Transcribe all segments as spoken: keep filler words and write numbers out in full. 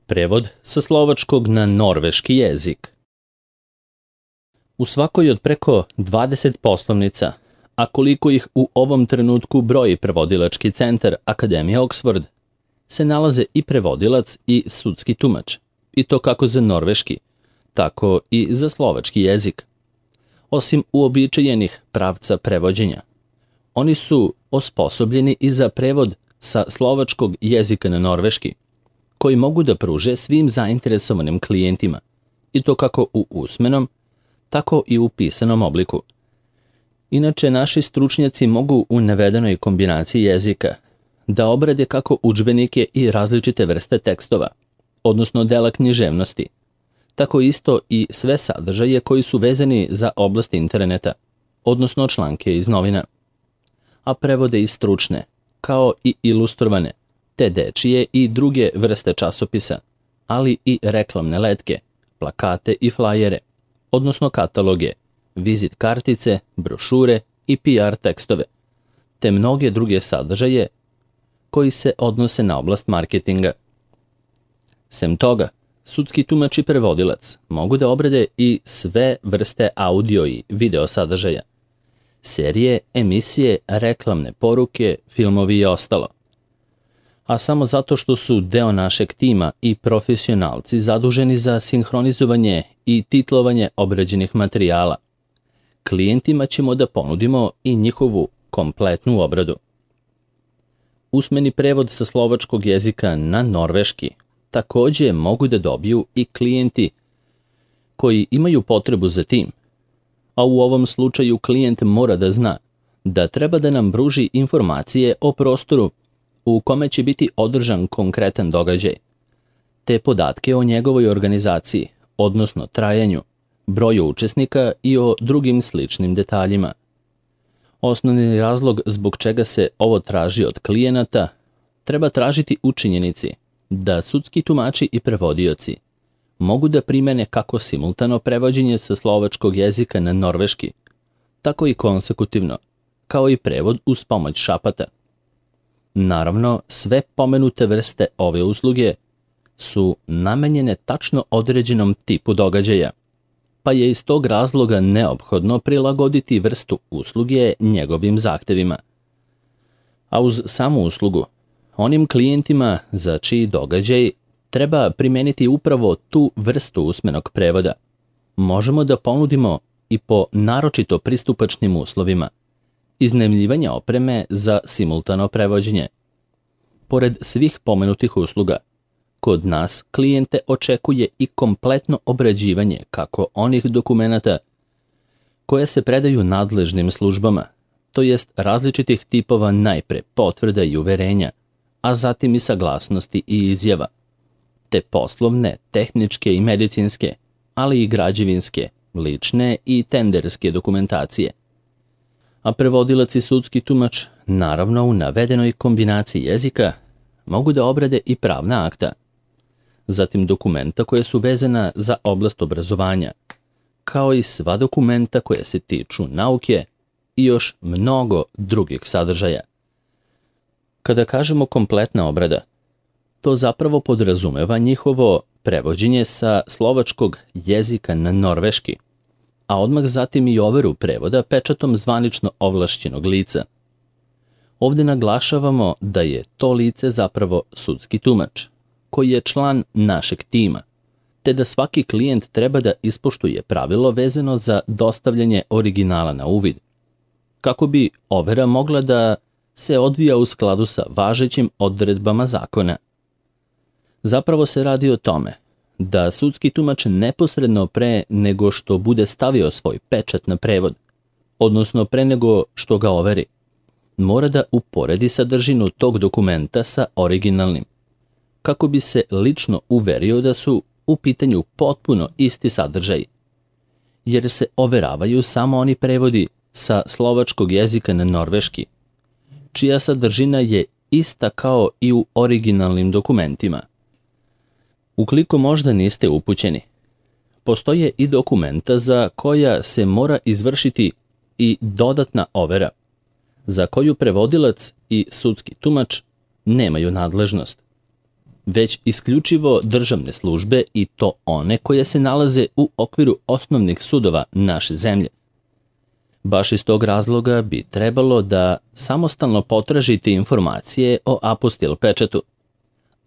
Prevod sa slovačkog na norveški jezik. U svakoj od preko dvadeset poslovnica, a koliko ih u ovom trenutku broji prevodilački centar Akademije Oxford, se nalaze i prevodilac i sudski tumač, i to kako za norveški, tako i za slovački jezik. Osim uobičajenih pravca prevođenja, oni su osposobljeni i za prevod sa slovačkog jezika na norveški, koji mogu da pruže svim zainteresovanim klijentima, i to kako u usmenom, tako i u pisanom obliku. Inače, naši stručnjaci mogu u navedenoj kombinaciji jezika da obrade kako udžbenike i različite vrste tekstova, odnosno dela književnosti, tako isto i sve sadržaje koji su vezani za oblast interneta, odnosno članke iz novina, a prevode i stručne, kao i ilustrovane, te dečije i druge vrste časopisa, ali i reklamne letke, plakate i flajere, odnosno kataloge, vizit kartice, brošure i P R tekstove, te mnoge druge sadržaje koji se odnose na oblast marketinga. Sem toga, sudski tumač i prevodilac mogu da obrade i sve vrste audio i video sadržaja, serije, emisije, reklamne poruke, filmovi i ostalo. A samo zato što su deo našeg tima i profesionalci zaduženi za sinhronizovanje i titlovanje obrađenih materijala, klijentima ćemo da ponudimo i njihovu kompletnu obradu. Usmeni prevod sa slovačkog jezika na norveški takođe mogu da dobiju i klijenti koji imaju potrebu za tim, a u ovom slučaju klijent mora da zna da treba da nam pruži informacije o prostoru u kome će biti održan konkretan događaj, te podatke o njegovoj organizaciji, odnosno trajanju, broju učesnika i o drugim sličnim detaljima. Osnovni razlog zbog čega se ovo traži od klijenata treba tražiti u činjenici da sudski tumači i prevodioci mogu da primene kako simultano prevođenje sa slovačkog jezika na norveški, tako i konsekutivno, kao i prevod uz pomoć šapata. Naravno, sve pomenute vrste ove usluge su namenjene tačno određenom tipu događaja, pa je iz tog razloga neophodno prilagoditi vrstu usluge njegovim zahtevima. A uz samu uslugu, onim klijentima za čiji događaj treba primeniti upravo tu vrstu usmenog prevoda, možemo da ponudimo i po naročito pristupačnim uslovima iznajmljivanja opreme za simultano prevođenje. Pored svih pomenutih usluga, kod nas klijente očekuje i kompletno obrađivanje kako onih dokumenata koje se predaju nadležnim službama, to jest različitih tipova najpre potvrda i uverenja, a zatim i saglasnosti i izjava, te poslovne, tehničke i medicinske, ali i građevinske, lične i tenderske dokumentacije. A prevodilac i sudski tumač, naravno u navedenoj kombinaciji jezika, mogu da obrade i pravna akta, zatim dokumenta koje su vezana za oblast obrazovanja, kao i sva dokumenta koje se tiču nauke i još mnogo drugih sadržaja. Kada kažemo kompletna obrada, to zapravo podrazumeva njihovo prevođenje sa slovačkog jezika na norveški, a odmah zatim i overu prevoda pečatom zvanično ovlašćenog lica. Ovde naglašavamo da je to lice zapravo sudski tumač, koji je član našeg tima, te da svaki klijent treba da ispoštuje pravilo vezano za dostavljanje originala na uvid, kako bi overa mogla da se odvija u skladu sa važećim odredbama zakona. Zapravo se radi o tome da sudski tumač neposredno pre nego što bude stavio svoj pečat na prevod, odnosno pre nego što ga overi, mora da uporedi sadržinu tog dokumenta sa originalnim, kako bi se lično uverio da su u pitanju potpuno isti sadržaj, jer se overavaju samo oni prevodi sa slovačkog jezika na norveški, čija sadržina je ista kao i u originalnim dokumentima. Ukoliko možda niste upućeni, postoje i dokumenta za koja se mora izvršiti i dodatna overa, za koju prevodilac i sudski tumač nemaju nadležnost. već isključivo državne službe i to one koje se nalaze u okviru osnovnih sudova naše zemlje. Baš iz tog razloga bi trebalo da samostalno potražite informacije o apostil pečatu,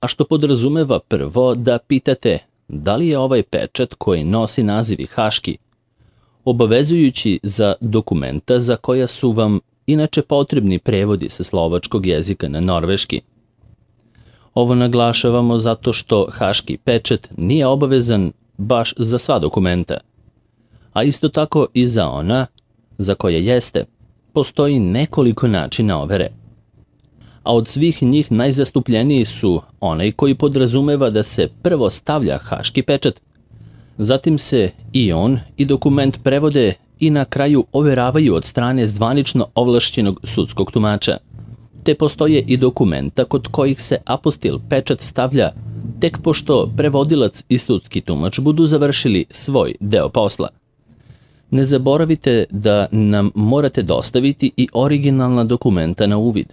a što podrazumeva prvo da pitate da li je ovaj pečat koji nosi naziv haški obavezujući za dokumenta za koja su vam inače potrebni prevodi sa slovačkog jezika na norveški. Ovo naglašavamo zato što haški pečat nije obavezan baš za sva dokumenta, a isto tako i za ona za koje jeste, postoji nekoliko načina overe. A od svih njih najzastupljeniji su onaj koji podrazumeva da se prvo stavlja haški pečat, zatim se i on i dokument prevode i na kraju overavaju od strane zvanično ovlašćenog sudskog tumača, te postoje i dokumenta kod kojih se apostil pečat stavlja tek pošto prevodilac i sudski tumač budu završili svoj deo posla. Ne zaboravite da nam morate dostaviti i originalna dokumenta na uvid,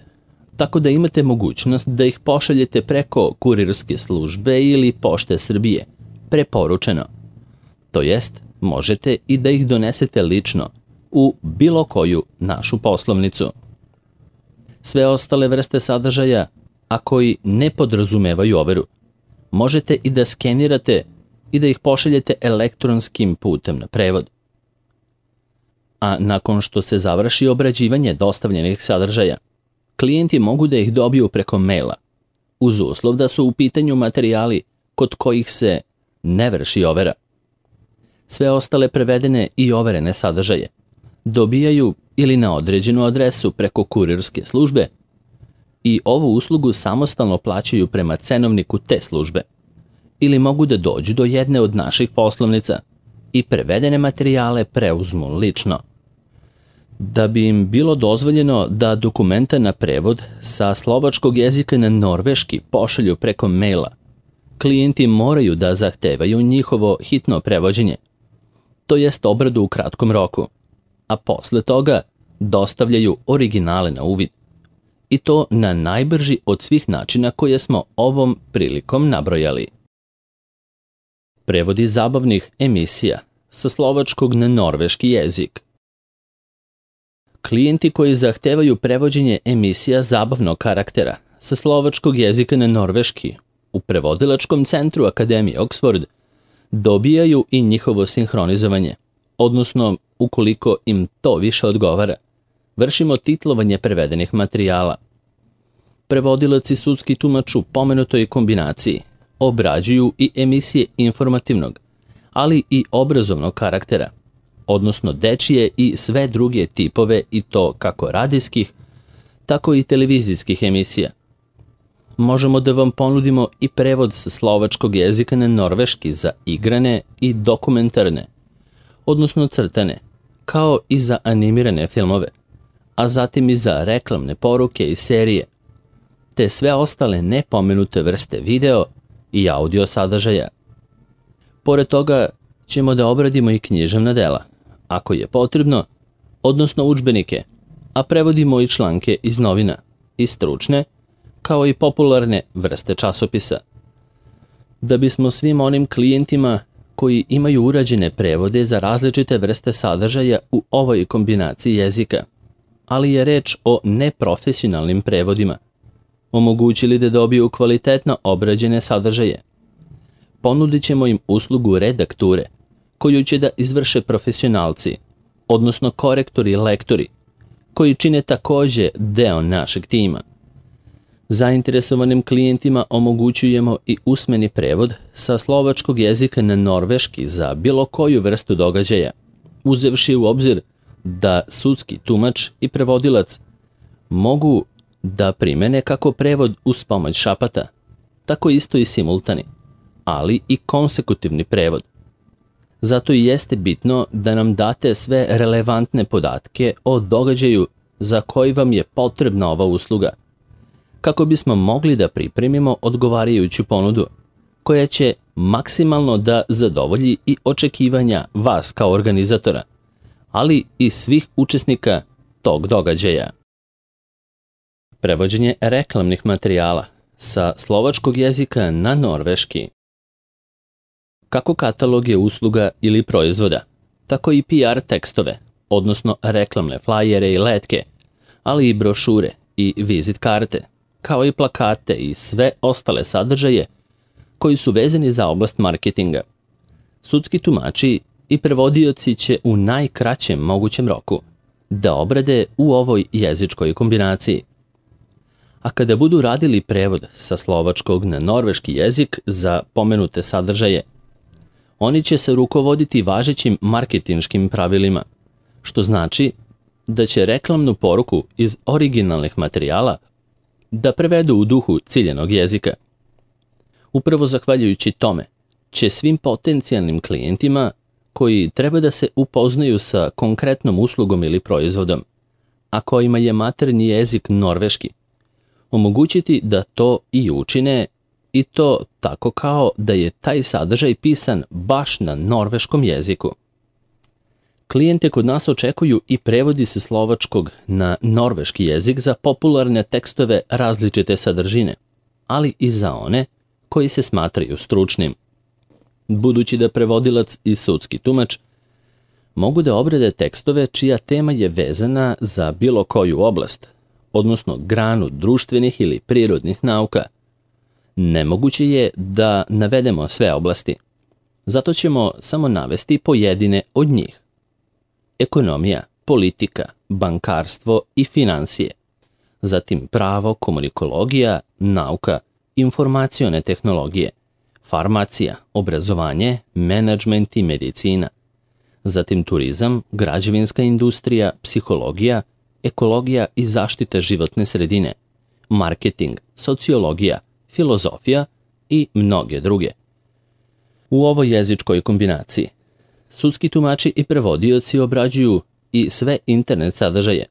tako da imate mogućnost da ih pošaljete preko kurirske službe ili Pošte Srbije, preporučeno. To jest, možete i da ih donesete lično u bilo koju našu poslovnicu. Sve ostale vrste sadržaja, a koji ne podrazumevaju overu, možete i da skenirate i da ih pošaljete elektronskim putem na prevod. A nakon što se završi obrađivanje dostavljenih sadržaja, klijenti mogu da ih dobiju preko maila, uz uslov da su u pitanju materijali kod kojih se ne vrši overa. Sve ostale prevedene i overene sadržaje dobijaju ili na određenu adresu preko kurirske službe i ovu uslugu samostalno plaćaju prema cenovniku te službe, ili mogu da dođu do jedne od naših poslovnica i prevedene materijale preuzmu lično. Da bi im bilo dozvoljeno da dokumenta na prevod sa slovačkog jezika na norveški pošalju preko maila, klijenti moraju da zahtevaju njihovo hitno prevođenje, to jest obradu u kratkom roku, a posle toga dostavljaju originale na uvid. I to na najbrži od svih načina koje smo ovom prilikom nabrojali. Prevodi zabavnih emisija sa slovačkog na norveški jezik. Klijenti koji zahtevaju prevođenje emisija zabavnog karaktera sa slovačkog jezika na norveški u prevodilačkom centru Akademije Oxford dobijaju i njihovo sinhronizovanje, odnosno, ukoliko im to više odgovara, vršimo titlovanje prevedenih materijala. Prevodilac i sudski tumač u pomenutoj kombinaciji obrađuju i emisije informativnog, ali i obrazovnog karaktera, odnosno dečije i sve druge tipove i to kako radijskih, tako i televizijskih emisija. Možemo da vam ponudimo i prevod sa slovačkog jezika na norveški za igrane i dokumentarne, odnosno crtane, kao i za animirane filmove, a zatim i za reklamne poruke i serije, te sve ostale nepomenute vrste video i audio sadržaja. Pored toga ćemo da obradimo i književna dela, ako je potrebno, odnosno udžbenike, a prevodimo i članke iz novina, i stručne, kao i popularne vrste časopisa. Da bismo svim onim klijentima koji imaju urađene prevode za različite vrste sadržaja u ovoj kombinaciji jezika, ali je reč o neprofesionalnim prevodima, omogućili da dobiju kvalitetno obrađene sadržaje. Ponudit ćemo im uslugu redakture, koju će da izvrše profesionalci, odnosno korektori i lektori, koji čine takođe deo našeg tima. Zainteresovanim klijentima omogućujemo i usmeni prevod sa slovačkog jezika na norveški za bilo koju vrstu događaja, uzevši u obzir da sudski tumač i prevodilac mogu da primene kako prevod uz pomoć šapata, tako isto i simultani, ali i konsekutivni prevod. Zato i jeste bitno da nam date sve relevantne podatke o događaju za koji vam je potrebna ova usluga, kako bismo mogli da pripremimo odgovarajuću ponudu, koja će maksimalno da zadovolji i očekivanja vas kao organizatora, ali i svih učesnika tog događaja. Prevođenje reklamnih materijala sa slovačkog jezika na norveški. Kako kataloge usluga ili proizvoda, tako i P R tekstove, odnosno reklamne flajere i letke, ali i brošure i vizit karte, kao i plakate i sve ostale sadržaje koji su vezani za oblast marketinga. Sudski tumači i prevodioci će u najkraćem mogućem roku da obrade u ovoj jezičkoj kombinaciji. A kada budu radili prevod sa slovačkog na norveški jezik za pomenute sadržaje, oni će se rukovoditi važećim marketinškim pravilima, što znači da će reklamnu poruku iz originalnih materijala da prevedu u duhu ciljenog jezika. Upravo zahvaljujući tome će svim potencijalnim klijentima koji treba da se upoznaju sa konkretnom uslugom ili proizvodom, a kojima je maternji jezik norveški, omogućiti da to i učine, i to tako kao da je taj sadržaj pisan baš na norveškom jeziku. Klijente kod nas očekuju i prevodi sa slovačkog na norveški jezik za popularne tekstove različite sadržine, ali i za one koji se smatraju stručnim. Budući da prevodilac i sudski tumač mogu da obrade tekstove čija tema je vezana za bilo koju oblast, odnosno granu društvenih ili prirodnih nauka, nemoguće je da navedemo sve oblasti. Zato ćemo samo navesti pojedine od njih. Ekonomija, politika, bankarstvo i finansije, zatim pravo, komunikologija, nauka, informacione tehnologije, farmacija, obrazovanje, menadžment i medicina, zatim turizam, građevinska industrija, psihologija, ekologija i zaštita životne sredine, marketing, sociologija, filozofija i mnoge druge. U ovoj jezičkoj kombinaciji sudski tumači i prevodioci obrađuju i sve internet sadržaje,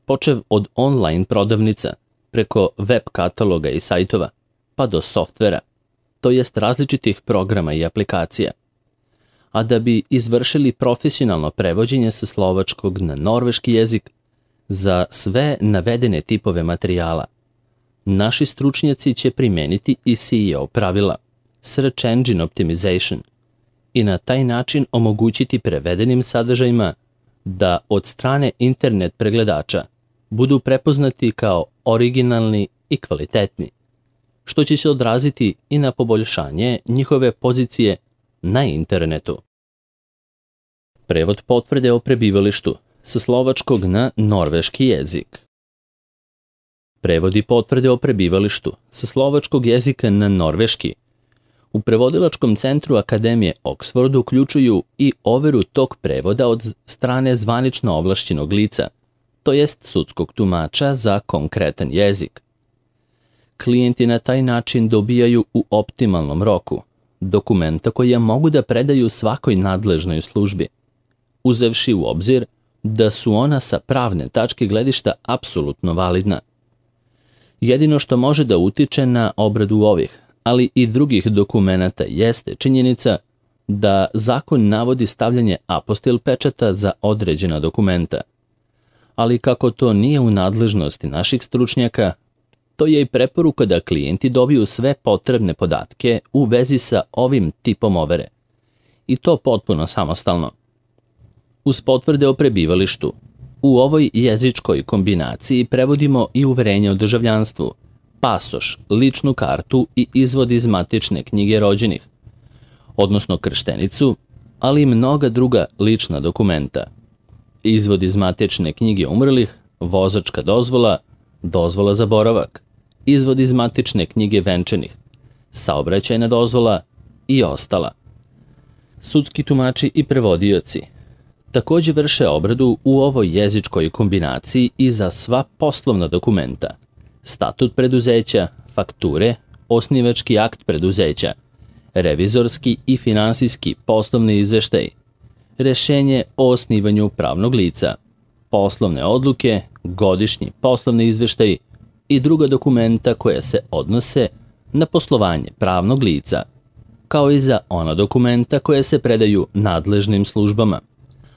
počev od online prodavnica, preko web kataloga i sajtova, pa do softvera, to jest različitih programa i aplikacija. A da bi izvršili profesionalno prevođenje sa slovačkog na norveški jezik za sve navedene tipove materijala, naši stručnjaci će primeniti i S E O pravila, Search Engine Optimization, i na taj način omogućiti prevedenim sadržajima da od strane internet pregledača budu prepoznati kao originalni i kvalitetni, što će se odraziti i na poboljšanje njihove pozicije na internetu. Prevod potvrde o prebivalištu sa slovačkog na norveški jezik. Prevodi potvrde o prebivalištu sa slovačkog jezika na norveški u prevodilačkom centru Akademije Oxford uključuju i overu tog prevoda od strane zvanično ovlašćenog lica, to jest sudskog tumača za konkretan jezik. Klijenti na taj način dobijaju u optimalnom roku dokumenta koja mogu da predaju svakoj nadležnoj službi, uzevši u obzir da su ona sa pravne tačke gledišta apsolutno validna. Jedino što može da utiče na obradu ovih, ali i drugih dokumenata jeste činjenica da zakon navodi stavljanje apostil pečata za određena dokumenta. Ali kako to nije u nadležnosti naših stručnjaka, to je i preporuka da klijenti dobiju sve potrebne podatke u vezi sa ovim tipom overe, i to potpuno samostalno. Uz potvrde o prebivalištu, u ovoj jezičkoj kombinaciji prevodimo i uverenje o državljanstvu, pasoš, ličnu kartu i izvod iz matične knjige rođenih, odnosno krštenicu, ali i mnoga druga lična dokumenta. Izvod iz matične knjige umrlih, vozačka dozvola, dozvola za boravak, izvod iz matične knjige venčanih, saobraćajna dozvola i ostala. Sudski tumači i prevodioci takođe vrše obradu u ovoj jezičkoj kombinaciji i za sva poslovna dokumenta, statut preduzeća, fakture, osnivački akt preduzeća, revizorski i finansijski poslovni izveštaj, rešenje o osnivanju pravnog lica, poslovne odluke, godišnji poslovni izveštaj i druga dokumenta koja se odnose na poslovanje pravnog lica, kao i za ona dokumenta koje se predaju nadležnim službama,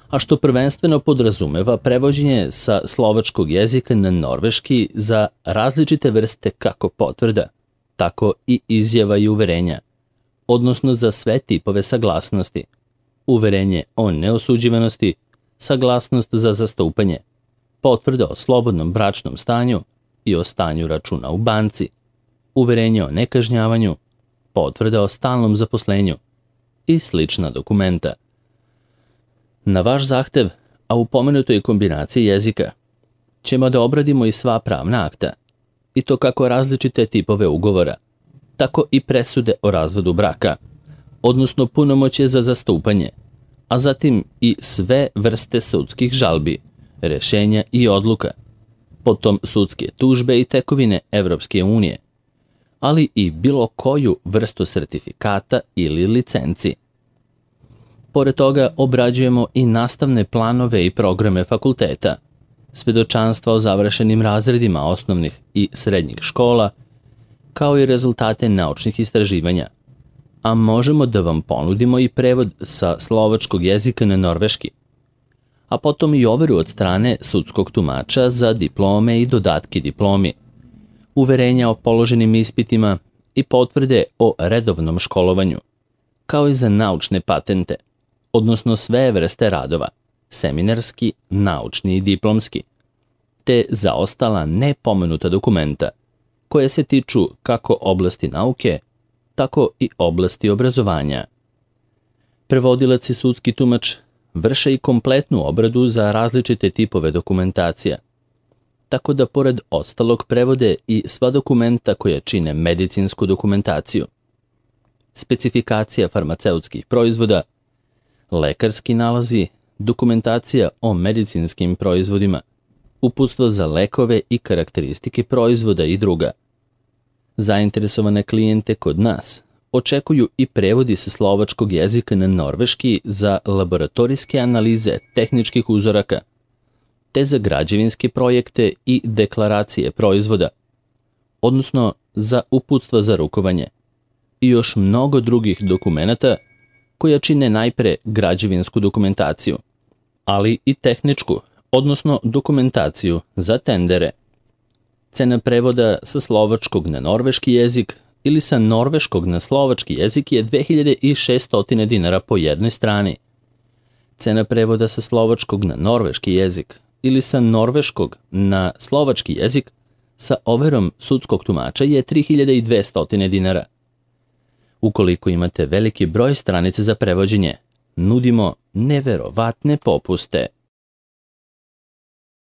a što prvenstveno podrazumeva prevođenje sa slovačkog jezika na norveški za različite vrste kako potvrda, tako i izjava i uverenja, odnosno za sve tipove saglasnosti, uverenje o neosuđivanosti, saglasnost za zastupanje, potvrda o slobodnom bračnom stanju i o stanju računa u banci, uverenje o nekažnjavanju, potvrda o stalnom zaposlenju i slična dokumenta. Na vaš zahtev, a u pomenutoj kombinaciji jezika, ćemo da obradimo i sva pravna akta, i to kako različite tipove ugovora, tako i presude o razvodu braka, odnosno punomoćje za zastupanje, a zatim i sve vrste sudskih žalbi, rešenja i odluka, potom sudske tužbe i tekovine Evropske unije, ali i bilo koju vrstu sertifikata ili licenci. Pored toga obrađujemo i nastavne planove i programe fakulteta, svedočanstva o završenim razredima osnovnih i srednjih škola, kao i rezultate naučnih istraživanja, a možemo da vam ponudimo i prevod sa slovačkog jezika na norveški, a potom i overu od strane sudskog tumača za diplome i dodatke diplomi, uverenja o položenim ispitima i potvrde o redovnom školovanju, kao i za naučne patente, odnosno sve vrste radova, seminarski, naučni i diplomski, te za ostala nepomenuta dokumenta, koje se tiču kako oblasti nauke, tako i oblasti obrazovanja. Prevodilac i sudski tumač vrše i kompletnu obradu za različite tipove dokumentacija, tako da pored ostalog prevode i sva dokumenta koja čine medicinsku dokumentaciju, specifikacija farmaceutskih proizvoda, lekarski nalazi, dokumentacija o medicinskim proizvodima, uputstva za lekove i karakteristike proizvoda i druga. Zainteresovane klijente kod nas očekuju i prevodi sa slovačkog jezika na norveški za laboratorijske analize tehničkih uzoraka, te za građevinske projekte i deklaracije proizvoda, odnosno za uputstva za rukovanje, i još mnogo drugih dokumenata koja čine najpre građevinsku dokumentaciju, ali i tehničku, odnosno dokumentaciju za tendere. Cena prevoda sa slovačkog na norveški jezik ili sa norveškog na slovački jezik je dve hiljade šesto dinara po jednoj strani. Cena prevoda sa slovačkog na norveški jezik ili sa norveškog na slovački jezik sa overom sudskog tumača je tri hiljade dvesta dinara. Ukoliko imate veliki broj stranica za prevođenje, nudimo neverovatne popuste.